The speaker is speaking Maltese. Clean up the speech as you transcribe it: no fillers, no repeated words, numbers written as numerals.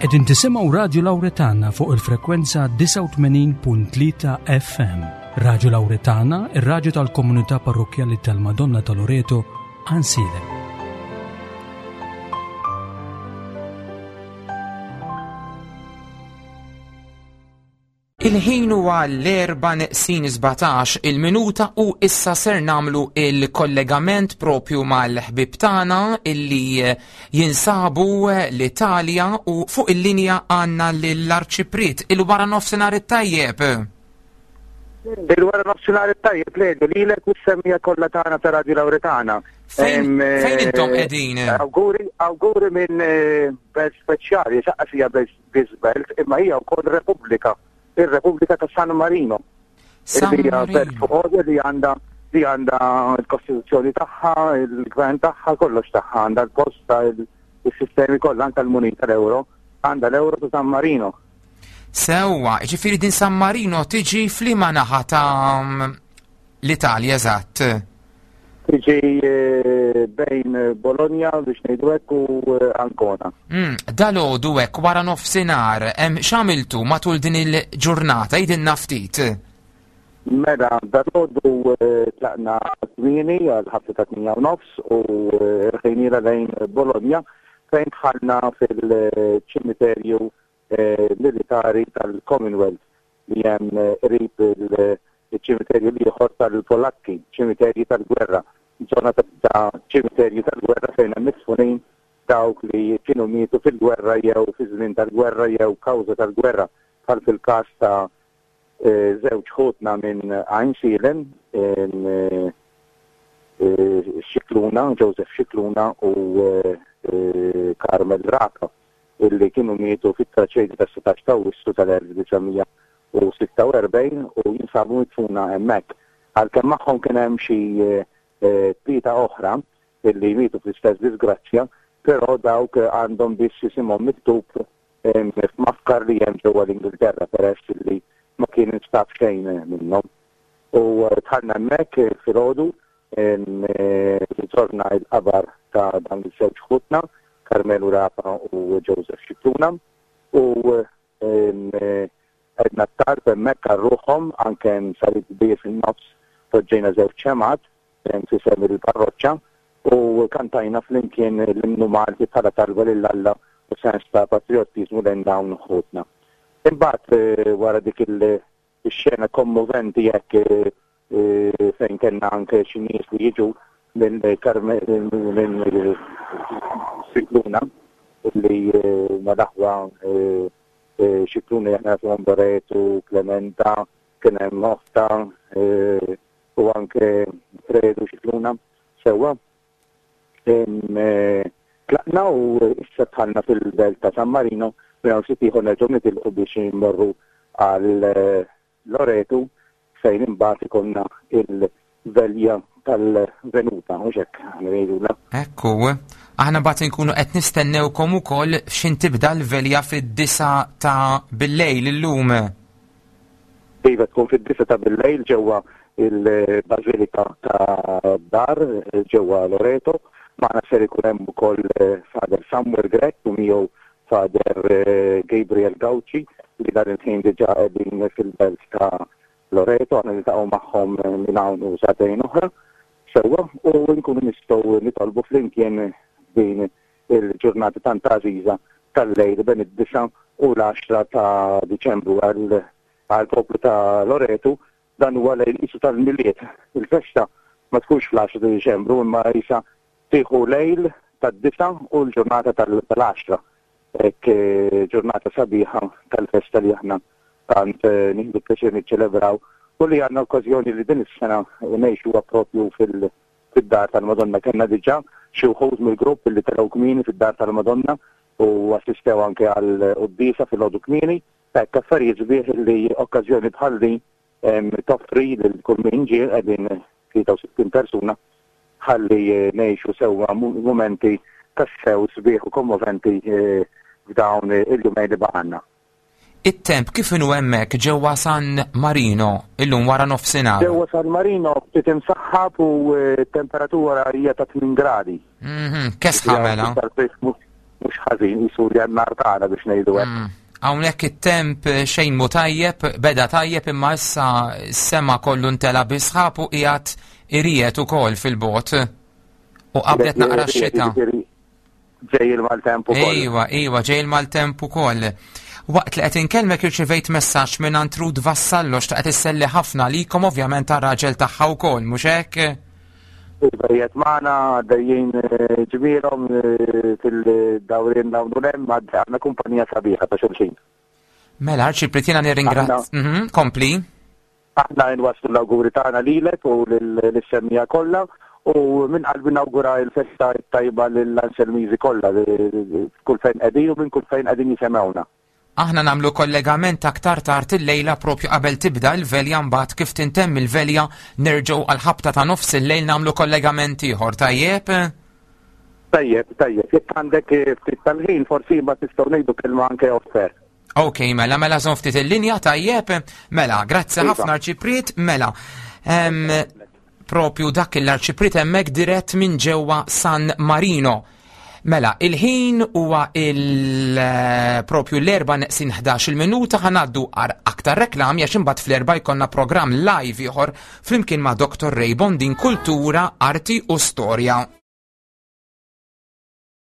Qegħdin tisimgħu Radju Lawretana fuq il-frekwenza 89.3 FM. Radju Lawretana, ir-radju tal-komunità parrokkjali tal-Madonna ta' Loreto, Ansilem. Il-ħin huwa l-erba' neqsin 17 il-minuta u issa ser namlu il-kollegament propju mal-ħbib tagħna illi jinsabu l-Italja u fuq il-linja għandna lill-Arċipriet il-wara nofsinhar it-tajjeb. Il-wara nofsinhar it-tajjeb lejlu lilek u s-semmija kollha tagħna ta' Radio Lawretana. Fejn intom qegħdin? Awguri, awguri minn eh, belt speċjali, xaqqas hija belt biss belt, imma hija wkoll Repubblika, ir-Repubblika ta' San Marino. San Li hija Marino. belt fuq għodja li għandha li għandha l-kostituzzjoni tagħha, il-gvern tagħha, kollox tagħha, għandha l-posta, il-sistemi kollha, anke l-munita l-euro, għandha l-euro ta' San Marino. Sewwa, ġifieri din San Marino tiġi f'liema naħa ta' l-Italja eżatt. Tiġi eh, bejn Bologna biex ngħidu hekk u eh, Ancona. Mm, Dalgħodu hekk wara nofsinhar, hemm x'għamiltu matul din il-ġurnata jidinna ftit. Mela, dalgħodu eh, tlaqna kmieni għal ħabta ta' 8 u nofs u rħejniela lejn Bologna fejn dħalna fil-ċimiterju militari tal-Commonwealth li hemm qrib iċ-ċimiterju l-ieħor tal-Polakki, ċimiterji tal-gwerra, żona ta' ċimiterji tal-gwerra fejn hemm midfunin dawk li kienu mietu fil-gwerra jew fi żmien tal-gwerra jew kawża tal-gwerra, bħal fil-każ ta' żewġ ħutna minn Għajnsielem, Scicluna, Joseph Scicluna u Carmel Rapa. illi kienu mietu fit-traċedja tas-16 ta' Awwissu tal-1946 u jinsabu midfuna hemmhekk. Għalkemm magħhom kien hemm xi tlieta oħra illi mietu fl-istess disgrazzja, però dawk għandhom biss isimhom miktub f'mafkar li hemm ġewwa l-Ingilterra peress illi ma kien instab xejn minnhom. U dħalna hemmhekk filgħodu Żorna l-qabar ta' dawn iż-żewġ ħutna, Karmenu Rapa u Joseph Scicluna, u għedna t-talb hemmhekk għal ruħhom, anke hemm salib kbir fin-nofs, poġġejna żewġ xemgħat f'isem il-parroċċa u kantajna flimkien l-innu Malti bħala talba lil Alla u sens ta' patrijottiżmu lejn dawn ħutna. Imbagħad wara dik il- Ix-xena kommoventi hekk fejn kellna anke xi nies li jiġu minn minn Scicluna li huma l-aħwa Scicluna li aħna nafuhom Loretu, Clementa, kien hemm oħtha u anke Fredu Scicluna sewwa. Tlaqna u issa dħalna fil-belt ta' San Marino, minn hawn ftit ieħor nerġgħu nitilqu biex immorru għal Loretu fejn imbagħad ikollna il-velja tal-venuta, mhux hekk ngħidulha. Ekku, aħna mbagħad inkunu qed nistennewkom ukoll x'in tibda l-velja fid-disa ta' billejl illum. Iva tkun fid-disa ta' billejl ġewwa il-Bażilika ta' Dar ġewwa Loreto. Magħna ser ikun hemm ukoll Father Samuel Grech u miegħu Father Gabriel Gauci li dan il-ħin diġà qegħdin fil-belt ta' Loreto. Aħna niltaqgħu magħhom minn hawn u sagħtejn oħra sewwa u nkunu nistgħu nitolbu flimkien din il-ġurnata tant għażiża tal-lejl bejn id-disgħa u l-għaxra ta' Diċembru għall-poplu ta' Loretu dan huwa lejl qisu tal-Milied. Il-festa ma tkunx fl-għaxra ta' Diċembru imma qisha tieħu lejl tad-disgħa u l-ġurnata tal-għaxra. Hekk ġurnata sabiħa tal-festa li aħna tant nieħdu pjaċir niċċelebraw u li għandna okkażjoni li din is-sena ngħixuha propju fil- fid-Dar tal-Madonna. Kellna diġà xi wħud mill-grupp li telgħu kmieni fid-Dar tal-Madonna u assistew anke għall-quddiesa filgħodu kmieni. Hekk affarijiet sbieħ li okkażjoni bħal din toffri lil kull min ġie, qegħdin 63 persuna, ħalli ngħixu sewwa mumenti tassew sbieħ u kommoventi f'dawn il-jumejn li baqgħalna. It-temp kif inhu hemmhekk ġewwa San Marino illum wara nofsinhar? Ġewwa San Marino ftit imsaħħab u t-temperatura hija ta' 8 gradi. Mhm, kesħa mela. mhux ħażin qisu Jannar tagħna biex ngħidu hekk. Hawnhekk it-temp xejn mhu tajjeb, beda tajjeb imma issa s-sema kollu ntela bi sħab u qiegħed iriegħed ukoll fil-bogħod. U qabdet naqra x-xita. Ġej il-maltemp ukoll. Ejwa, ejwa, ġej il-maltemp ukoll. Waqt li qed inkellmek irċivejt messaġġ minn Ruth Vassallo xtaqet isselli ħafna likom ovvjament għar-raġel tagħha wkoll, mhux hekk? Iva qiegħed magħna għaddejjin eh, ġmielhom eh, fil-dawrien dawn u hemm għandna kumpanija sabiħa ta' xulxin. Mela, Arċipriet jiena nirringrazzja. Mhm, kompli. Aħna nwasslu l-awguri tagħna lilek u lis-semmiegħa kollha u minn qalbi nawgura l-festa t-tajba lill-Anselmiżi kollha kull fejn qegħdin u minn kull fejn qegħdin jisemgħuna. Aħna nagħmlu kollegament aktar tard illejla propju qabel tibda l-velja mbagħad kif tintemm il-velja nerġgħu għall-ħabta ta' nofs il-lejl nagħmlu kollegament ieħor, tajjeb? Tajjeb, tajjeb. Jekk għandek ftit tal-ħin forsi mbagħad nistgħu ngħidu kelma anke off air. Ok, mela, mela żomm ftit il-linja, tajjeb. Mela, grazzi iva. ħafna Arċipriet, mela. Propju dak l-Arċipriet hemmhekk dirett minn ġewwa San Marino. Mela, il-ħin huwa il-propju l-erba neqsin 11 il-minuta ħanaddu għar aktar reklami għax imbagħad fl-erba jkollna programm live ieħor flimkien ma' Dr. Ray Bondin Kultura, Arti u Storja.